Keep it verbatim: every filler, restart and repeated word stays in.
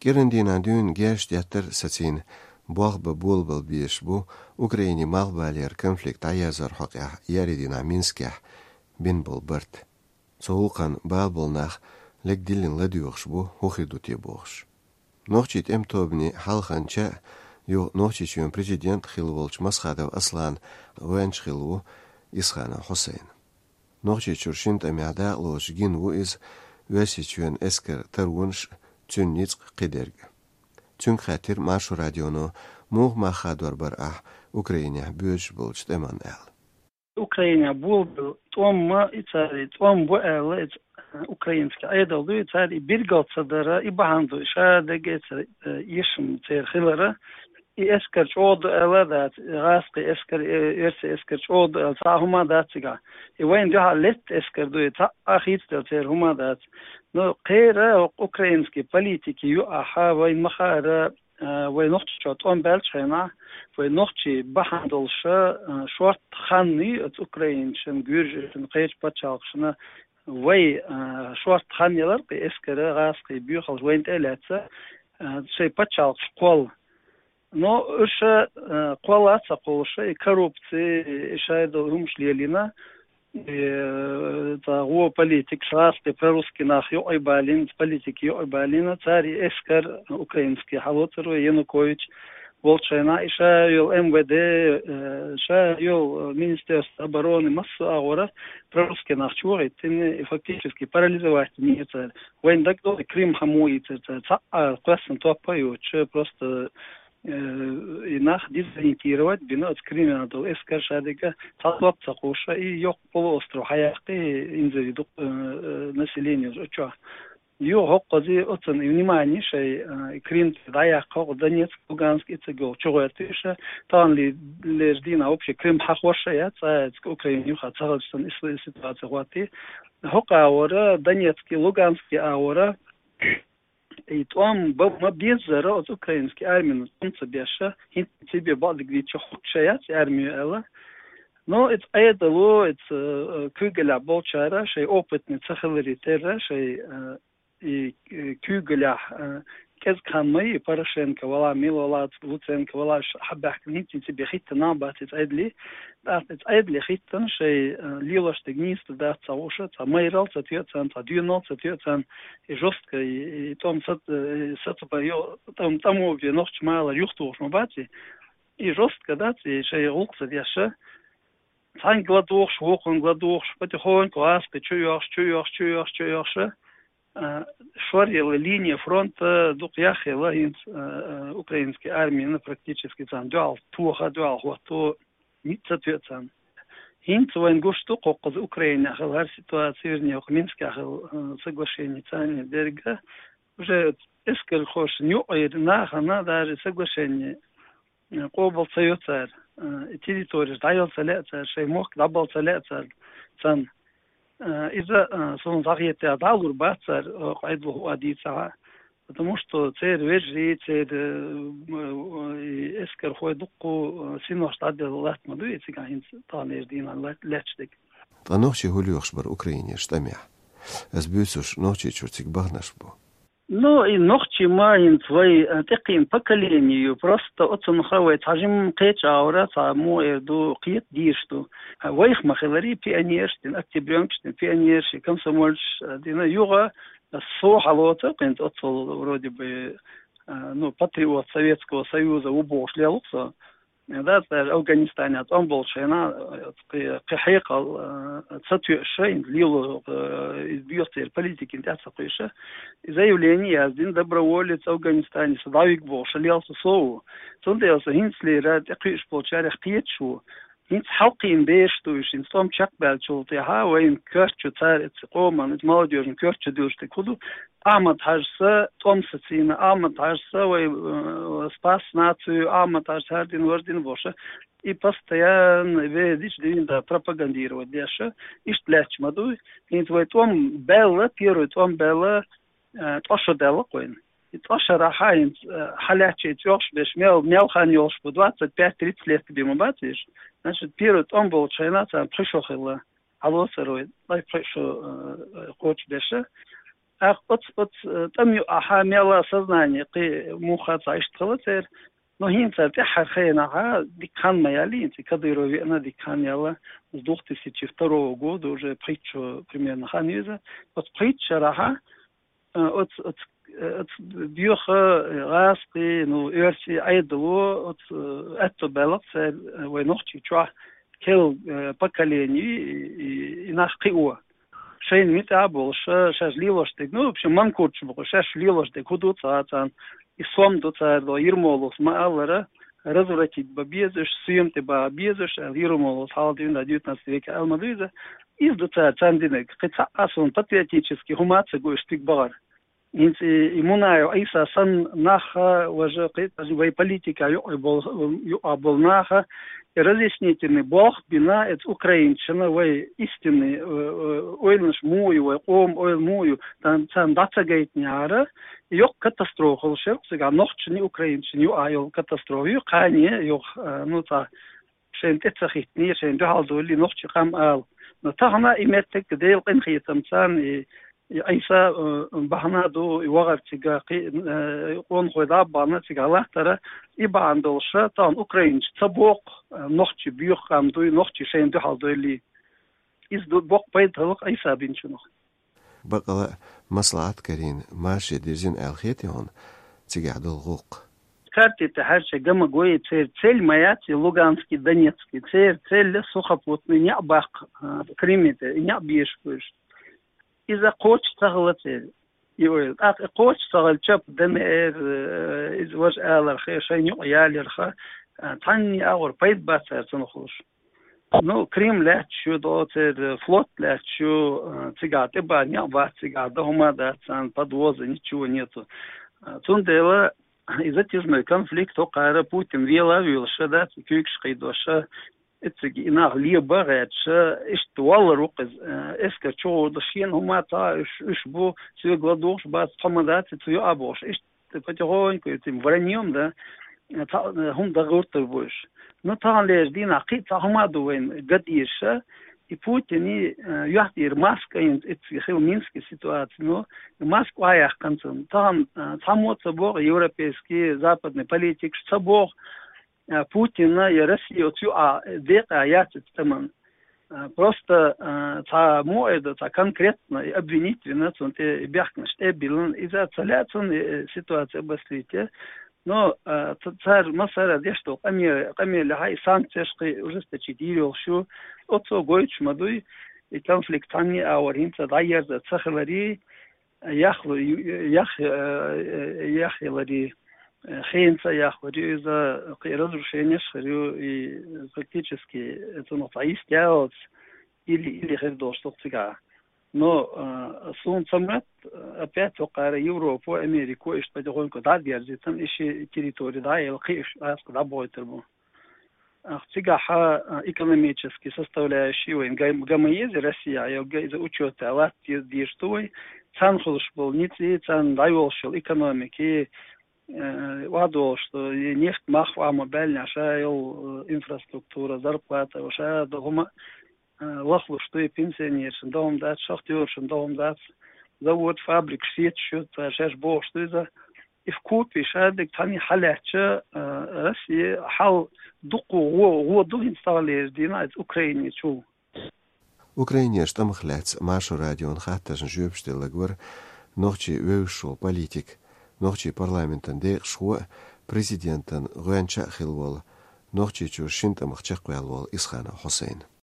КӀиранан дийнахьа дуьйна герзаш деттар сацийна болх бан болабала безаш бу Украинан малхбалера конфликт дӀаерзарах хьокъехь еарин дийнахьа Минскехь бина болу барт. Цу гӀуллакхна бала болу нах лерг диллина ладоьгӀуш бу, хӀун хир ду те бохуш. Нохчийн тӀеман тобанан хьалханча а, юха Нохчийчоьнан президент а хилла волчу Масхадов Асланан воьнча хилла ву Исханов Хьусайн. Нохчийчуьра шина тӀамехь дакъалоцуш гина ву иза Оьрсийчоьнан эскаран таронаш а, цуьнан ницкъ а, кхидерг а. Цуьнга хаьттира Маршо радионо, муха мах хадор бара ахь Украинехь боьдуш болчу тӀеман аьлла. Украинехь болабелла тӀом а, и цара и тӀом бу аьлла, и ц-, украинский Ӏедал ду, и цара и билгал ца дара, и бахьана ду, и шадерг а, и цара, э, эшам церан хилара, и эскар чӀогӀа ду аьлла а дац, и гӀазкхийн эскар, э, оьрсийн эскар чӀогӀа ду аьлла, цхьа а хӀума дац цигахь. И вайна дуьхьал летта эскар ду, и цхьа а хийцаделла церан хӀума дац. Но кхера хӀокху украинский политики юкъахь вайна ма хаара, а, вай Нохчийчохь тӀом баьллачу хенахь, вай нохчий бахьана долуш, а, шортта хан ю оцу украинчун, гуьржишна, кхечу пачхьалкхашна вай, а, шортта хан ялар кхин эскара, гӀазкхийн боьхалш вайна тӀе а лаьцна, а, шайн пачхьалкхаш кхолла. Но уьш, а, кхолла а ца кхуллуш, и коррупци, и шайн долу хӀумаш лелийна, и, э, цхьа гӀо политикаш, гӀазкхийн прорусский нах юкъа а балийна, политика юкъа а балийна, цара и эскар украинский хьалоцура вай Янукович волчу хенахь, и ша йолу М В Д, э, ша йолу Министерство обороны, массо а агӀора прорусский нах чу вахийтина, и фактически парализовать йина цара. Вайна дагадогӀу, Крым хьан муха ийцира цара, цхьа а кхоьссина топ а йоцуш, просто э, и нах дезориентировать бина оцу Крымехь долу эскар, шадерг а цхьа топ ца кхуллуш, и йоккха полуостров хьаяккхи, инзаре дукха, э, э, население оцу чохь. Юха хӀокхуза оцунна и внимание шайн, э, и Крым тӀе дӀаяккха, хӀокху Донецк, Луганск, и цига йолу чугӀоьртуш, тахана ле-, лерчу дийнахь вообще Крым хьахош а яц, цкъа а Украина юха ца хилча санна, и с-, и ситуация хӀоттий. ХӀокху агӀора, Донецкий, Луганский агӀора, и тӀом бан ма беззара оцу украинский армина тӀом ца беш, хӀинца цибе бакъдерг дийцича, хӀуттуш а яц армино аьлла. Но иза Ӏедало, иза, э, куьйгаллехь болчара шайн опытный ца хиларе терра, шайн, э, и, э, куьйгаллехь, э, кӀезиг хан ма йий, Порошенко вала, мила вала, Луценко вала, ш-, хьабаьхкина хӀинца цибе хӀиттина а бац иза Ӏедале. ТӀаккха иза Ӏедале хӀиттина шайн, э, лелош дерг нийса дац ца хууш, цхьа майралла ца тоьу царна, цхьа доьналла ца тоьу царна, и жестко, и, и тӀом сац-, э, сацабайо, тӀом, тӀамо бе нохча малар юхатухуш ма бац и. И жестко дац, и шайн гӀуллакх ца деш. Цхьаьнга ладугӀуш, вукхунга ладугӀуш, потихоньку гӀазкхий чу йохуш, чу йохуш, чу йохуш, чу йохуш. А, шоръелла линия фронта дукха яхъелла хӀинца, а, а, украинский армина практически царна дуьхьал тоха, дуьхьал хӀотто, ницкъ ца тоьу царна. ХӀинца вайна гуш ду кху-, кхуза Украинехь хилла хӀара ситуация, вернее, кху Минскехь хилла, а, соглашение царна дерг а. Уже эскархошна юкъара нахана даже соглашение, а, къобал ца йо цара, а, и территореш дӀаяла ца лаьа цара, шайн мохк дӀабала ца лаьа цара царна. Э, иза, э, суна схьахетарехь, дӀалур бац цара, э, къайдалуш а дийцахь, потому что церан вежарий, церан, э, э, и эскархой дуккха, э, синош дӀаделла латта ма ду, и цигахь хӀинца таханлерчу дийнахь лат-, лаьтташ дерг. Ткъа нохчий хӀун лоьхуш бара Украинерчу тӀамехь? Ас буьйцурш, Нохчийчуьра цига баханарш бу. Ну, и нохчий ма хӀинца вай, э, тӀекхийна поколение ю, просто оцунах вай цхьа жимма кхечу агӀора, цхьа муха эр ду, кхета дезаш ду. А вайх ма хиларий, пионерш дина, октябрёнкаш дина, пионерш, комсомольцаш, э, дина, юха со хьалоцу, кхин оццул вроде бы, э, ну, патриот Советского Союза ву бохуш лелу со. Да, цара Афганистанехь тӀом болчу хенахь, э, кхи-, кхин хьекъал, э, ца тоьуш, шайна лело, э, иза доьху церан политикина тӀе ца кхуьйсуш. И заявление яздина, доброволец Афганистане со дӀавига бохуш, лелла со ву. Цундела со хӀинцалера тӀекхуьуш болчарех кхеташ ву. ХӀинца хьалкхийна бераш ду уьш, хӀинца тӀом чекхбаьллачул тӀаьхьа вайна коьртачу цара, эцу къоман, эцу молодёжан коьртачу дуьллуш дерг хӀун ду? Ахьмад-Хьаьжас тӀом сацийна, Ахьмад-Хьаьжас вай, э, спас нацию, Ахьмад-Хьаьжас хӀара дина, вара дина бохуш. И постоянно везачу дийнахь пропагандировать деш, иштта лаьтташ ма ду. ХӀинца вай тӀом баьлла, первый тӀом баьлла, э, ткъа шо даьлла-кх вайна. И ткъа шарахь хӀинца, э, хьалаьтташ и чӀогӀуш беш, мел, мел хан йолуш бу, двадцать пять тридцать лет бен ма бац уьш. Значит, первый тӀом болчу хенахь царна пхи шо хилла. Хьалоцур вай, ткъа пхи шо, э, кхочушдеш. ТӀаккха оц, оц, э, тӀам юкъахьа мелла сознание кхы муха цхьа иштта хила церан. Но хӀинца тӀеххьара хенахьа дика хан ма яьлла, хӀинца Кадыров веана дика хан яьлла, с двух тысячи второго года уже пхийтта шо примерно хан ю иза. Оц пхийтта шарахьа, э, оц, оц, э, оц боьха, э, гӀазкхий, ну, оьрсий Ӏедало, оц, э, аьтто баьлла цар, э, вай нохчий чохь керла, э, поколени и, и, и нах кхио. Шайна муьтӀахь а болуш, шаьш лелош дерг, ну, в общем, манкурташ бу-кх уьш, шаьш лелош дерг хӀун ду цара, царна и сом ду цара, до Ермоловс ма-аллара, развратить бан безаш, соьма тӀе бан безаш, аьлла, Ермоловс хьалха дуьйна девятнадцатом веке аьлла ма ду иза. Иза ду цара царна динарг. Кхин цхьа а суна патриотически хӀума а ца го уьш стиг бахара. ХӀинца и, и Мунаев Ӏийса санна нах, важа кхин вай политика юкъа бол-, юкъа болу наха, и разъяснительный болх а бина, эца украинцашна вай истинный, э, э, ойланаш муха ю, вай къоман ойла муха ю, дан-, царна дӀа ца гайтинехьара, йоккха катастрофа хуьлуш яра-кх цигахь нохчашна, украинцашна юкъа йолу катастрофа ю, кхане йоху, э, ну, цхьа шайна тӀе ца хӀиттиний, шайна дуьхьал довлий нохчий къам ала. Но тахана и меттиг Делан къинхетамца и, и Ӏийса, э, бахьана ду, и вахар цига кхи-, э, къонахой дӀа а бахана цига латтара, и бахьана долуша, тахана украинцаша ца боху, э, нохчий боьха къам дуй, нохчий шайна дуьхьал довлий. Иза ду боккха пайда хилла-кх Ӏийса бинчунах. Бакъала а маслаӀат карийна, марше дирзина аьлла хетий хьуна цигахь долу гӀуллакх? Карти тӀехь хьаьрча гамагой церан цель ма яц и Луганский, Донецкий, церан цель сухопутный неӀ баккха, а, Крыме тӀе, и неӀ бешаш бу уьш. Иза кхочуш ца хилла церан, и ойла. ТӀаккха и кхочуш ца хилча, ДНР, э, иза важа аларх, шайна юкъа яларх, а, цхьанне а агӀор пайда бац цара цунах луш. Ну, Крым лаьтташ ю, до церан флот лаьтташ ю, э, цигахь тӀе бан неӀ бац, цигахь дан хӀума дац царна, подвоза, ничего нету. Э, цундела и затяжной конфликт хӀокхара Путин вела а вуьйлуш, дац, куьйгаш кхийдош, эццига и нах леба а гӀерташ, иштта валлар ву-кх иза, э, эскар чугӀур ду, шена хӀума ца, уьш, уьш бу, соьга ладугӀуш бац, тхо ма дац, цу юкъа бохуш, иштта потихоньку этим враньем, да, цхьа, э, хӀума дан гӀертар бу уьш. Ну, таханлерчу дийнахь кхин а цхьа хӀума ду вайна ган дезаш, и Путине, э, юьхь тӀера маска йина, эццига хилла Минский ситуаци, ну, маска охьаяьккхина цунна. Тахана, э, цхьаммо а ца боху, европейский, западный политикаш ца боху, э, Путинна я Россия оцу юкъа декъа яц эцу тӀаман. Э, просто, э, цхьа муха эр ду, цхьа конкретно и обвинить вина, цунна тӀе и бехканаш тӀе а биллина, иза ца лаьа цунна, э, ситуация обострить. Но, э, ц-, цара массара а деш долу къаме-, къамелехь и санкцеш кхин ужесточить йийр йолуш ю, оцо гойтуш ма дуй, и конфликт цхьанне а агӀор хӀинца дӀаерза ца хиларе, яхлу-, ю-, ю-, ях-, э, э, яхъяларе, э, хенца а яхлур ю иза, кхин разрушенеш а хир ю, и фактически цунах цхьа йист яц, или, или хир долуш ду-кх цигахь. Но, э, суна ца моьтту, опять хӀокхара Европо, Америко, иштта потихоньку дӀа а дерзийта, и ши территори дӀа а елла, кхин уьш аска дӀабохуьйтур бу. Ах, цигахь, а, экономически составляющий вайн га-, га ма еза Россия, йо, га иза учёт а латта де-, дезаш ду вай. Царна хуьлуш болу ницкъ, царна дӀайолуш йолу экономики, э, охьадолуш ду, и нефть мах охьа ма баьллинехь, ша йолу, э, инфраструктура, зарплата, ша долу хӀума, э, лахлуш ду, и пенсионершна догӀма дац, шахтёршна догӀма дац, завод, фабрикаш сеташ ю, цара шаьш бохуш ду иза. И вкупе шадерг цхьаьна хьалаьцча, а, Россия хьал дукха гӀо-, гӀо ду хӀинца таханлерчу дийнахь иза Украине чу. Украинерчу тӀамах лаьцна Маршо радион хаттаршна жоьпаш делларг вара нохчийн вевзаш волу политик, нохчийн парламентан декъашхо а, президентан гӀоьнча а хилла волу, Нохчийчуьра шина тӀамах чекхваьлла волу Исханов Хьусайн.